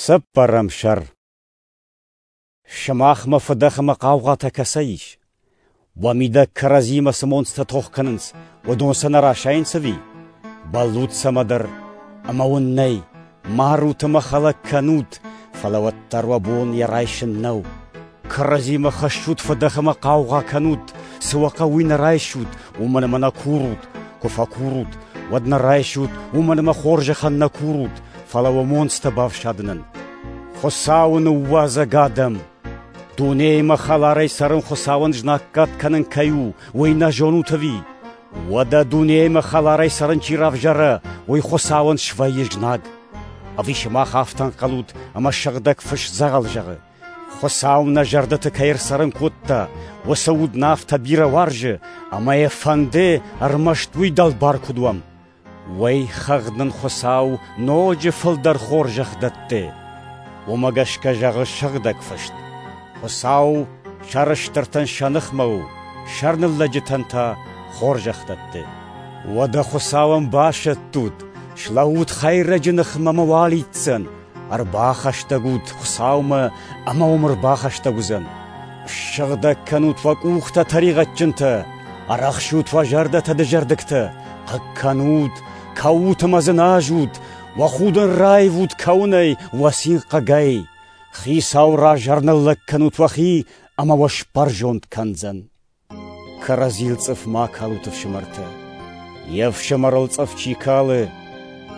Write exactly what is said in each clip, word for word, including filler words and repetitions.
Цыппӕрӕм сӕр. Сымахмӕ фыдӕх ӕмӕ хъаугъатӕ кӕцӕй ис? Уӕ мидӕг кӕрӕдзимӕ цы монцтӕ тох кӕнынц, уыдон сӕ нӕ расайынц ӕви? Бӕллут цӕмӕдӕр, ӕмӕ уын нӕй, марут ӕмӕ хӕлӕг кӕнут, фӕлӕ уӕддӕр уӕ бон йӕ райсын нӕу. Кӕрӕдзимӕ хӕссут фыдӕх ӕмӕ хъаугъа кӕнут, цы уӕ хъӕуы, уый нӕ райсут, уымӕн ӕмӕ нӕ курут. Куы фӕкурут, уӕд нӕ райсут, уымӕн ӕмӕ хорзӕхӕн нӕ курут, фӕлӕ уӕ монцтӕ бафсадынӕн. Хуыцауы ныууадзӕг адӕм! Дунеимӕ хӕларӕй цӕрын Хуыцауӕн знаггад кӕнын кӕй у, уый нӕ зонут ӕви? Уӕдӕ дунеимӕ хӕларӕй цӕрын чи равзара, уый Хуыцауӕн свӕййы знаг. Ӕви сымах афтӕ ӕнхъӕлут, ӕмӕ сыгъдӕг фыст дзӕгъӕл зӕгъы? Хуыцау нӕ зӕрдӕты кӕй ӕрцӕрын кодта, уыцы уд нӕ афтӕ бирӕ уарзы, ӕмӕ йӕ фӕнды ӕрмӕст уый дӕлбар куыд уӕм. Уый хыгъд нын Хуыцау ноджы фылдӕр хорзӕх дӕтты. Уымӕ гӕсгӕ зӕгъы сыгъдӕг фыст: Хуыцау сӕрыстыртӕн сӕ ныхмӕ у, сӕрныллӕджытӕн та хорзӕх дӕтты. Уӕдӕ Хуыцауӕн басӕттут, слӕуут хӕйрӕджы ныхмӕ ӕмӕ уӕ алидздзӕн, ӕрбахӕстӕг ут Хуыцаумӕ ӕмӕ уым ӕрбахӕстӕг уыдзӕн. Ссыгъдӕг кӕнут уӕ къухтӕ тӕригъӕдджынтӕ, ӕрӕхсут уӕ зӕрдӕтӕ дызӕрдыгтӕ, хъыг кӕнут, кӕут ӕмӕ дзыназут, уӕ худын раивут кӕуынӕй, уӕ цин хъыгӕй. Хицауы раз ӕрныллӕг кӕнут уӕхи ӕмӕ уӕ сбӕрзонд кӕндзӕн. Кӕрӕдзийыл цъыф ма калут, ӕфсымӕртӕ. Йе фсымӕрыл цъыф чи калы,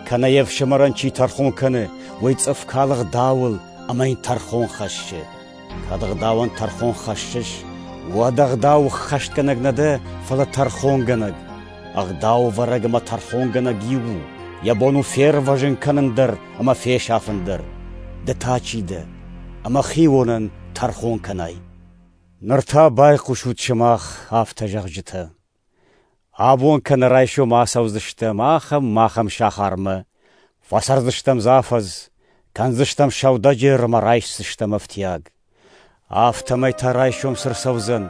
кӕнӕ йе фсымӕрӕн чи тӕрхон кӕны, уый цъыф калы ӕгъдауыл ӕмӕ йын тӕрхон хӕссы. Кӕд ӕгъдауӕн тӕрхон хӕссыс, уӕд ӕгъдау ӕххӕстгӕнӕг нӕ дӕ, фӕлӕ тӕрхонгӕнӕг. Ӕгъдауӕвӕрӕг ӕмӕ тӕрхонгӕнӕг иу у, йӕ бон у фервӕзын кӕнын дӕр ӕмӕ фесафын дӕр. Ды та чи дӕ, ӕмӕ хионӕн тӕрхон кӕнай? Ныр та байхъусут сымах, афтӕ зӕгъджытӕ. Абон кӕнӕ райсом ацӕудзыстӕм ахӕм-ахӕм сахармӕ, фӕцӕрдзыстӕм дзы афӕдз, кӕндзыстӕм сӕудӕджер ӕмӕ райсдзыстӕм ӕфтиаг. Афтӕмӕй та райсом цы рцӕудзӕн,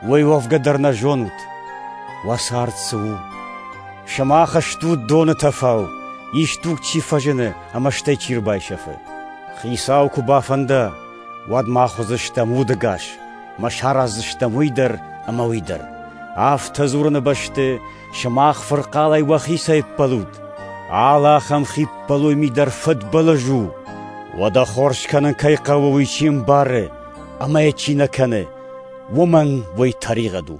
уый уӕвгӕ дӕр нӕ зонут. Уӕ цард цы у? Сымах стут доны тӕфау, исдуг чи фӕзыны ӕмӕ стӕй чи рбайсӕфы. Хицау куы бафӕнда, уӕд мах уыдзыстӕм удӕгас, мӕ сараздзыстӕм уый дӕр ӕмӕ уый дӕр. Афтӕ дзурыны бӕсты сымах фырхъалӕй уӕхицӕй ӕппӕлут. Алы ахӕм хиппӕлой ми дӕр фыдбылыз у. Уӕдӕ хорз кӕнын кӕй хъӕуы, уый чи ӕмбары ӕмӕ йӕ чи нӕ кӕны, уымӕн уый тӕригъӕд у.